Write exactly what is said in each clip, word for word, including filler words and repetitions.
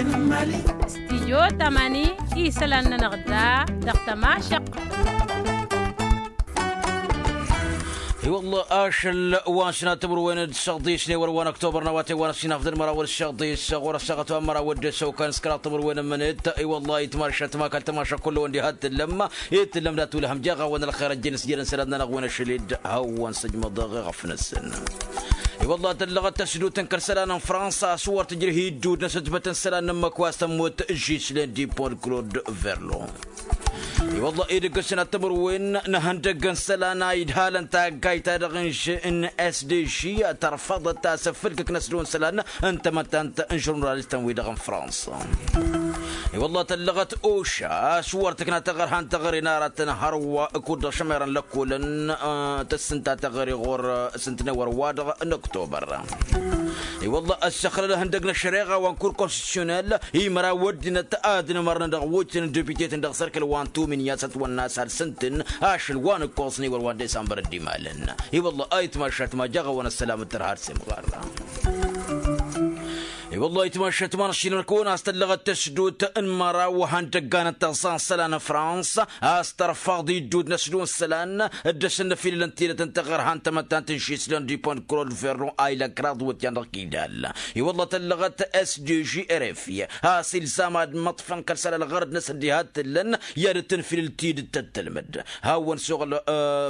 Stijyo tamani isălan-nănăɣ da dăɣ-tămašăqq. I-wălla ašăl wa n-sănat timǝrwen d-săɣḍis n-ewăr wa n-ăktobăr n-awătay wa n-ăssinafḍăn măraw d-săɣḍis ɣur-ăssaɣăt wa n-măraw d-săwkan s-kăraḍ timǝrwen ǝmmǝnet. I-wălla itmašat ma kăl-tămašăk kullu-wăn diha t-tǝllăm i-tǝllăm dat-wǝlhăm jeɣ-awăn ălxer ăjjeen s-jeren isălan-nănăɣ wi n-ašăl-dd. Hawăn-săjmăḍăɣ i-ɣăf-năsăn. I-wălla tăllăɣăt tăsdut n-kăl-isălan n-fransa a-s wăr tǝjrǝh iddud n-asǝtbăt n-isălan n-ǝmmǝk wa s-tămmut žislen dipon d-klod verlo. I-wălla edăgg n-sănat timǝrwen n-ihăndăgg n-isălan a idhalăn taggayt-ta-dăɣ n-sdž tărfăḍăt asǝfǝlkǝk n-asdăw n-isălan n-tamăttant n-žurnalistăn-wi-dăɣ n-fransa. I-wălla tăllăɣăt oša a-s wăr tǝkna taɣărha n-teɣăre n-aratăn hărwa kud-dăɣ šămerăn lăkkolăn tǝssǝnta teɣăre ɣur-s ǝntănew ărwa-dăɣ n-oktobăr. I-wălla ăssăxlăl ihăndăg n-ăššăreɣa wa n-kur konstitusyonel imăraw ăddinăt ad-inǝmărnăn dăɣ-wǝjtăn n-deputetăn dăɣ-sărkăl wa n-tumin i-ad-sătwănna a-s alsǝntǝn ašăl wa n-ǝkkoẓ n-ewăr wa n-desambăr dd-imalăn. I-wălla a itmašat ma jaɣ-awăn ăssălam d-tărha d-semɣarra. I-wălla itmašat ma n-ašilmăn kăwăn a-s tăllăɣăt tăsdut n-măraw ihăndăggan n-tăẓẓa n-isălan n-fransa a-s tărfăḍ iddud n-asdun isălan d-asǝnnăfilăl n-tidăt n-taɣărha n-tamăttant n-šislăn dipon d-klod verro a ilăkraḍ wǝtyan dăɣ-kidal. I-wălla tăllăɣăt sdž rfi a-s ilzam ad-măṭfăn kăl-isălan ălɣărăd-năsăn diha t-tǝllăn i-ad-dd-tǝnfilǝl tidǝt tăt-tălmǝd. Hawăn-suɣǝl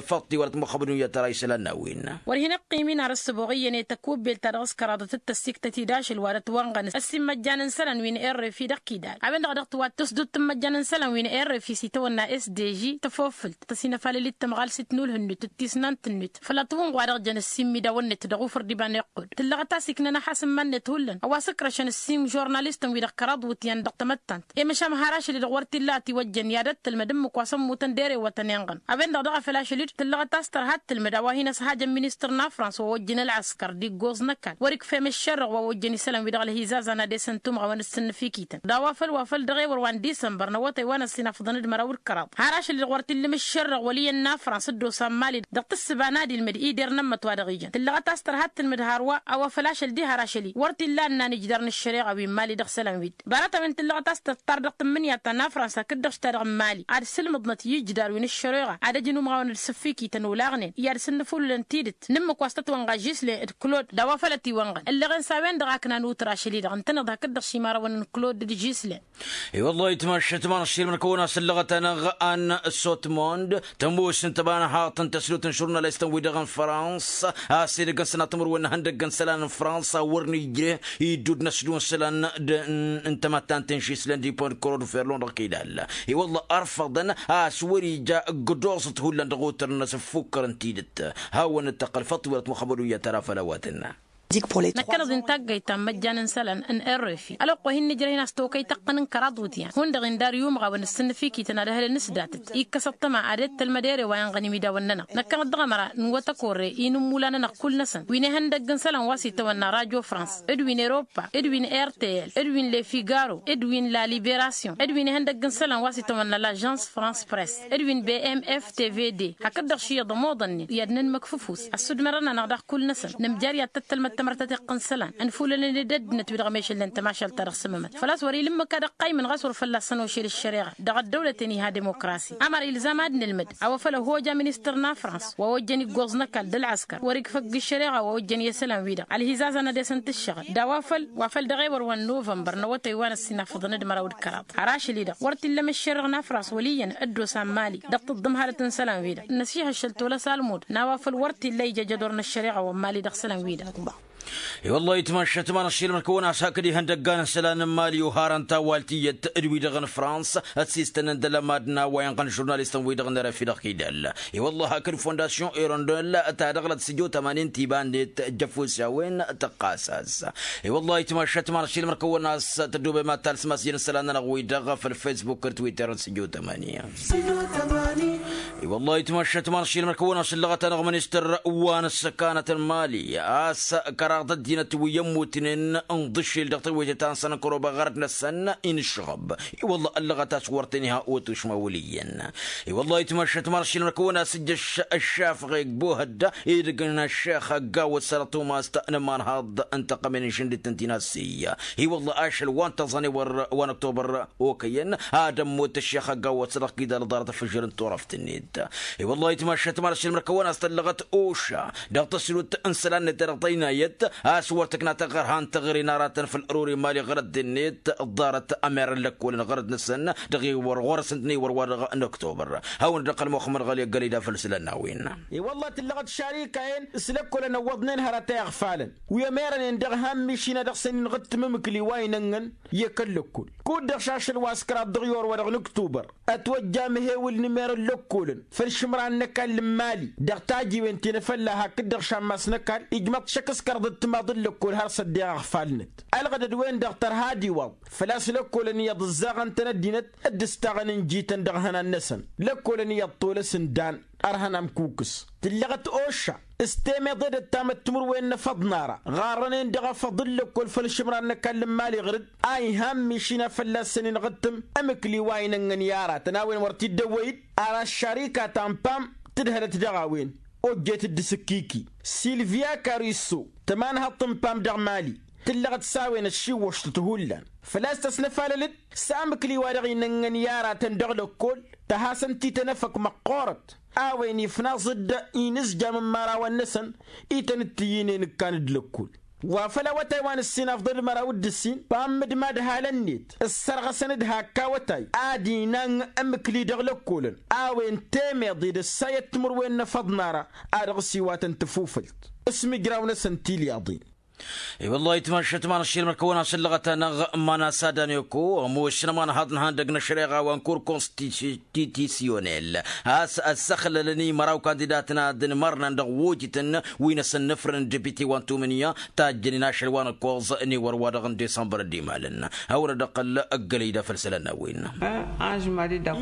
făṭṭi wăr-ătmăxăbdun i-ad-tăra isălan n-a-wen. Wăr hin-ăqqim-in ar ăssăboɣ iyyăn i-tăkubbelt ta dăɣ-s kăraḍăt d-tăssiktăt-dd ašăl wa dăɣ-t-wănɣăn s-immăjjan n-isălan wi n-rfi dăɣ-kidal a-wen-dăɣ a dăɣ-tǝwat tăsdut tǝmmăjjan n-isălan wi n-rfi s-itawănna sdž tăfofǝlt tăsinăfalăl-dd tămɣalsit n-ulh-net d-tisnant-net făll-ăṭṭuwǝnɣ wa dăɣ-jăn ăssimmidawăn-net dăɣ-ufăr d-iba n-iqqud tǝllăɣăt a-s iknăn ăhass n-iman-net hullan a-wa s-ǝkrăšăn ăssiim žurnalistăn-wi-dăɣ kăraḍ iwǝtyan dăɣ-tamăttant i-măšan har ašăl-i-dăɣ wăr t-illa a tiwăjjăn i-ad-ăttălmăd ǝmmǝk wa s-ămmutăn d-erewătăn inɣăn. A-wen-dăɣ daɣ a făl ašăl-dd tǝllăɣăt a-s tărha ăttălmăd a-wa hin-ăshajăn ministăr n-afrans wa ojjăn ălɣăskăr d-iggoẓ n-ăkall wăr-ikfem ǝššărrăɣ wa ojjăn isălan-wi-dăɣ ălhizazan ad-esăn tumɣawăn d-sǝnnǝfikităn d-a-wa făl wa făl dăɣ-ewăr wa n-disămbăr n-awătay wa n-ăssinafḍăn d-măraw d-kăraḍ har ašăl-i-dăɣ wăr t-illăm ǝššărrăɣ wăl' iyyăn n-afrans dd-osa n-mali dăɣ-tǝssǝba n-ad-ilmǝd ider n-ămmăt wa dăɣ-ijăn tǝllăɣăt a-s tărha ăttălmǝd hărwa a-wa făl ašăl diha ar ašăl-i wăr t-illa ănnan ijder n-ăššăreɣa wi n-mali dăɣ-isălan-wi-dd. Ḍarăt-a-wen tǝllăɣăt a-s tăṭṭar dăɣ-tǝmmǝnǝya ta n-afrans hakd-dăɣ šita dăɣ-n mali ad-sǝlmǝḍnăt i-ijdar wi n-ǝššăreɣa ad-ăj inumɣawăn d-sǝffikităn olaɣnen i-ad-sǝnnǝfulǝlăn tidǝt n-ǝmmǝk wa s-tătwănɣa žislen d-klod d-a-wa făl ătiwănɣăn ǝllăɣen s-a-wen-dăɣ a ǝknan utrašăl-i-dăɣ ǝntăneḍ hakd-dăɣ šimarăwăn n-klod d-žislen. I-wăllah itmašat ma n-ašilmăn kăwăn-asǝllăɣăt-anăɣ a n-sotmond tămoos n-tăbanhaḍt n-tăslut n-žurnalistăn-wi-dăɣ n-frans a-s edăgg n-sănatămăr-wen n-ihăndăgg n-isălan n-frans a wăr nǝjreh iddud n-asdun isălan n-tamăttant n-išislen dipon d-kărodon ferlon dăɣ-kidal. I-wăllah ărfăḍăn a-s wăr-ija ǝggǝdoẓăt hullan dăɣ-otăr-năsăn ǝffukkărăn tidǝt. Hawăn-dd-tăqqăl făṭṭ wăr-ătmăxăbăd uyyăt ara făll-a-wa tǝnna. Năkkăneḍ-i n-taggayt ta n-imăjjan n-isălan n-rfi ălwăqq wa hin-nǝjrăh-in a-s tokăy tăqqăn n-kăraḍ wutyan hundăɣ-in dar i-umɣawăn d-sǝnnǝfikităn ad-ăhlǝlăn s-datăt ikkăs ăṭṭăma ad-dd-tălmăd ere wa inɣăn imidawăn-nănăɣ. Năkkăneḍ dăɣ-ămăra n-iwăt ăkorre i-inǝmmula-nănăɣ kull-năsăn wi n-ihăndăgg n-isălan wa s-itawănna radio frans d-wi n-europa d-wi n-rtl d-wi n-lefigaro d-wi n-la liberasyon d-wi n-ihăndăgg n-isălan wa s-itawănna lažans frans press d-wi n-bmf tvd hakd-dăɣ šiyyăḍ ămoḍănnen i-ad-nǝnmăkf ăfuss ăssudmărăn-anăɣ daɣ kull-năsăn nǝmjar i-ad-tăt-tălmăd tamărt ta tiqqǝn isălan ănfulălăn-dd ăddinăt wi-dăɣ mešălnen tămašalt-ta-dăɣ s-ămmămăt făl-a-s wăr-ila ǝmmǝk ad-ăqqaymǝn ɣas wăr fălla-săn ošel ăššăreɣa dăɣ-ăddăwlăten iha dimokrasi. Ămăra ilzam ad-nǝlmǝd a-wa făl ăhoja ministăr n-afrans wa ojjăn iggoẓ n-ăkall d-ălɣăskăr wăr-ikfăgg ăššăreɣa wa ojjăn i-isălan-wi-dăɣ ălhizazăn ad-esăn-t ǝššăɣǝl d-a-wa făl wa făl dăɣ-ewăr wa n-novămbăr n-awătay wa n-ăssinafăḍăn d-măraw d-kăraḍ har ašăl-i-dăɣ wăr t-illa măššerăɣ n-afrans wăl' iyyăn dd-osa n-mali dăɣ-tǝḍḍǝmhalăt n-isălan-wi-dăɣ năsiha ašăl tolăs almud n-a-wa făl wăr t-illa ija jădor n-ăššăreɣa wa n-mali dăɣ-isălan-wi-dăɣ. I-wăllah itmašat ma n-ašilmăn kăwăn-as hakd ihăndăggan n-isălan n-mali oharăn tawalt iyyăt d-wi-dăɣ n-frans ătsistănăn d-alămad n-a-wa inɣăn žurnalistăn-wi-dăɣ n-rfi dăɣ-kidal. I-wăllah hakd fondasyon irondel ta dăɣ-lăt s-ijot ămanin tiba-net jăfus i-a-wen tăqqas-as. I-wăllah itmašat ma n-ašilmăn kăwăn-as tăddobe ma talsmas jăn isălan-nănăɣ-wi-dăɣ făll-fesbuk d-twitter n-s-ijot ămani. I-wăllah itmăššăt ma n-ašilmăr kăwăn-asǝllăɣăt-anăɣ ministăr wa n-ǝssăkanăt n-mali a-s kăraḍ ăddinăt wi ămmutnen n-iḍǝššel dăɣ-tewăytet ta n-săn n-kăroba ɣărăt-năsăn. Inǝšɣăb i-wăllah ăllăɣăt a-s wăr tăn-iha otušmăwǝl iyyăn. I-wăllah itmăššăt ma n-ašilmăr kăwăn-asǝjjăš ăššafăɣ i-ăgg-bohădda idăgg n-ăššex ăgg-awăt săr-ătumast n-ămanhaḍ n-tăqqămen n-išǝndǝt n-tinassi. I-wăllah ašăl wa n-tăẓane wăr wa n-ăktobăr okăyăn ad-ămmut ăššex ăgg-awăt săr-ăɣkidal ăḍarăt ăfǝžžăr n-turăft-net. I-wăllah itmăššăt ma n-ašilmăr kăwăn-as tăllăɣăt oša dăɣ-tăslut n-isălan-net dăɣ-tăynayăt a-s wăr tǝkna tăɣɣărha n-teɣăre n-aratăn făll-ărori mali ɣărăt-net ḍarăt ămerăn lăkkolăn ɣărăt-năsăn dăɣ-i wăr ɣur-săn-tăn-i wăr wa dăɣ-năktobăr. Hawăn-dd-ăqqăl muxămmăd ɣăli ăggălăy d-afăl isălan n-a-wen. I-wăllah tǝllăɣăt šarikayen s-lăkkolăn ăwwăḍnen hărăt a iɣfalăn wi ămerănen dăɣ-han mišina dăɣ-săn inɣǝttǝm ǝmǝkli wa inănnăn i-kăl-lăkkol kud-dăɣ šašăl wa s-kăraḍ dăɣ-i orwa dăɣ-nǝktubăr. Ătwăjja amhewǝl n-emerăn lăkkolăn făll-išǝmran n-ăkall n-imali dăɣ-tajiwen ti n-afălla hakd-dăɣ šammas n-ăkall ijmăḍ šăkk s-kăraḍ d-timaḍ n-lăkkol har s-ăddeɣ iɣfalnăt. Ălɣădăd-wen-dăɣ tărha d-iwaḍ făl-a-s lăkkolăn iyyăḍ ǝzzaɣăn-tăn ăddinăt d-ǝstaɣăn n-jităn dăɣ-ihănan-năsăn. Lăkkolăn iyyăḍ tolăs n-dan ărhăn amkukǝs tǝllăɣăt oša s-temeḍe d-ăttamăt timǝrwen n-efăḍ n-ara ɣarrănen dăɣ-efăḍ n-lăkkol făll-išǝmran n-ăkall n-imali ɣǝr-dd a ihan mišina fălla-săn inɣǝttǝm ǝmǝkli wa inănnăn i-aratăn a-wen wăr t-dd-ăwwăy-dd. Ar ăššarika ta n-pam tǝdhălăt dăɣ-a-wen ojjet d-asǝkkiki silviya karisso tămanhăḍt n-pam dăɣ-mali tǝllăɣăt s-a-wen ăššiwwăštăt hullan făl-a-s tăsnăfalăl-dd s-amǝkli wa dăɣ-inănnăn i-aratăn dăɣ-lăkkol tăhasăn-t-i tănăfăk măqqoorăt. A-wen ifnaẓ-dd inǝzjam n-imărawăn-năsăn i tăn-dd-tǝyyǝnen ǝkkan d-lăkkol wa făl awătay wa n-ǝssin afḍăl d-măraw d-ǝssin pam d-imadhalăn-net ǝssărɣăsăn-dd hakk awătay ad-inang ǝmǝkli dăɣ-lăkkolăn. A-wen temeḍe d-ăssayăt timǝrwen n-efăḍ n-ara a dăɣ-s iwatăn tafufălt s-imǝjraw-năsăn tilyaḍen. I-wăllah itmăššăt ma n-ašilmăr kăwăn-asǝllăɣăt-anăɣ ma n-asad aneko ămoosăn ămanhaḍ n-ihăndăg n-ăššăreɣa wa n-kur konstitisyonel a-s ăssăxlălăn i-măraw kandidatăn ad-ǝnmărnăn dăɣ-wojǝtăn wi n-asǝnnǝfrăn n-depite wa n-tumǝnya tajjănen ašăl wa n-ǝkkoẓ n-ewăr wa dăɣ-n disămbăr dd-imalăn. Hawăn-dd-ăqqăl ăggălăy d-afăl isălan n-a-wen.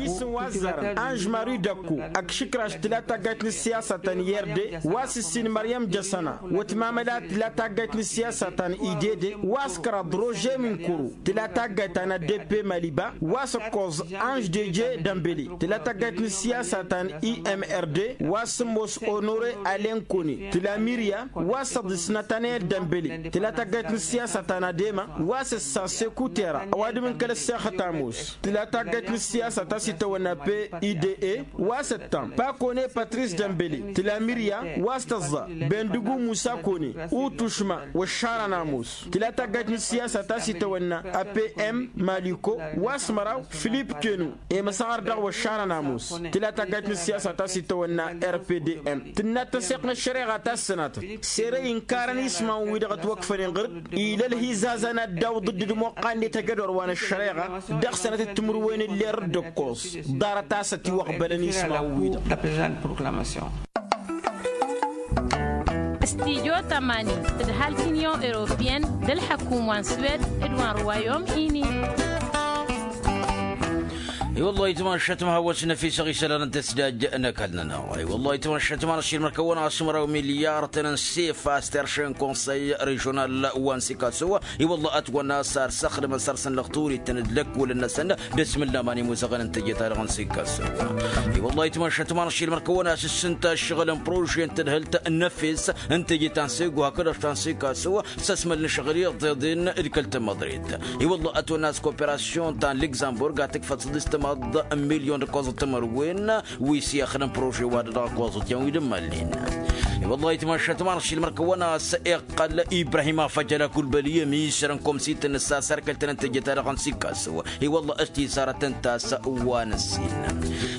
Isǝm wa ăzzarăn anž mari dăkku ăkšǝkraš tǝla taggayt n-ǝssiyasa ta n-i r d wa s-ǝssin măryăm jăsăna wătmamăla tǝla taggayt n-ǝssiyasa ta n-idede wa s-kăraḍ rože minkuru tǝla taggayt ta n-adepe maliba wa s-ăkkoẓ anž deje dămbele tǝla taggayt n-ǝssiyasa ta n-i m r d wa s-ămoos onore alenkone tǝla mirya wa s-ăḍis natanel dămbele tǝla taggayt n-ǝssiyasa ta n-adema wa s-ăssa sekutera ăwadǝm n-kăl-ăssexăt ămoos tǝla taggayt n-ǝssiyasa ta s-itawănna pe ide wa s-ăttam pakone patris dămbele tǝla mirya wa s-tăẓẓa bendugu musa kone utušma wăššarăn ămoos tǝla taggayt n-ǝssiyasa ta s-itawănna a p m maliko wa s-măraw filip kenu i-măsăɣăr dăɣ-wăššarăn ămoos tǝla taggayt n-ǝssiyasa ta s-itawănna r p d m tǝnna tăseɣt n-ăššăreɣa ta s-sănatăt sere inkarăn ismawăn-wi-dăɣ ătwăkfănen ɣǝr-dd ila ălhizazan ad-dawǝḍ dd-imoqqan-net ăjădor wa n-ăššăreɣa dăɣ-sănătăt timǝrwen n-ler d-ǝkkoẓ ḍarăt a-s ătiwăɣbălăn ismawăn-wi-dăɣ. Studyo tămani tǝdhal t-inyon europiyăn d-ălḥăkum wa n-swed d-wa n-ruwayom ini. I-wăllah itmăššăt ma hawăs n-efisăɣ isălan n-tăsdaj n-ăkall-nănăɣ i-wăllah itmăššăt ma n-ašilmăr kăwăn-asǝmraw milyar tăn-ănsef a-s terše n-konsăy režional wa n-sikaso. I-wăllah ătwănna a-s ar săxdămăn săr-săn lăxturităn d-lăkkolăn-năsăn d-asmǝllaman imuzăɣăn n-teje-ta-dăɣ n-sikaso. I-wăllah itmăššăt ma n-ašilmăr kăwăn-asǝssǝnta ǝššăɣǝl n-prože n-tadhǝlt n-efes n-teje ta n-sego hakd-dăɣ ta n-sikaso s-ăsmăl n-ašăɣǝl iḍeḍen d-kăl-tamăḍret. I-wăllah ătwănna a-s koperasyon ta n-lugzămburg a tǝkfăt săḍis timaḍ n-milyon d-ǝkkoẓăt timărwen wi s-ixdǝm prože wa dăɣ-ăkkoẓăt yan wi d-ǝmmalnen. I-wăllah itmăššăt ma n-ašilmăr kăwăn-as iqqăl ibrahim afăjăl akulbăli ămisăr n-komsităn n-ǝssasărkăl-tăn n-teje-ta-dăɣ n-sikaso. I-wăllah ăstiisarăt ǝnta a-s wa n-ǝssin.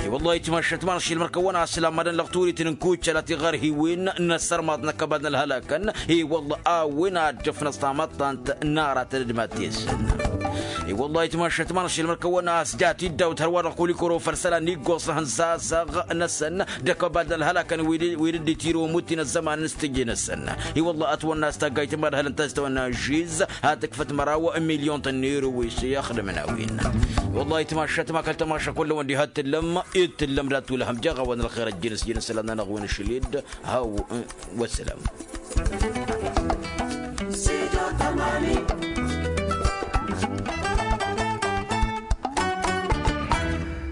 I-wăllah itmăššăt ma n-ašilmăr kăwăn-as lammadăn lăɣturităn n-kucăla tiɣărhiwen n-ăssărmaḍ n-ăkkăbal n-ălhălakăn. I-wăllah a-wen a dd-ǝfnăẓ tamăḍtant n-aratăn d-mad-t-esăn. I-wăllah itmašat ma n-ašilmăr kăwăn-as jat-dd awt hărwa-dăɣ kul-ikoro făll-isălan iggoẓ hăn sasăɣ-năsăn d-akăbal n-ălhălakăn wi dd-itirǝw mutin ăzzăman n-s tǝjje-năsăn. I-wăllah ătwănna a-s taggayt n-imadhălăn ta s-tawănna žizz ha tǝkfăt măraw n-milyon tănniru wi s-ixdǝmăn a-wen. I-wăllah itmašat ma kăl-tamaša kull-wăn diha t-tǝllăm dd-tǝllăm d-ad-tulhăm jeɣ-awăn ălxer ăjjǝn s-jǝn isălan-nănăɣ wi n-ašăl-dd. Haw. Wăssălam.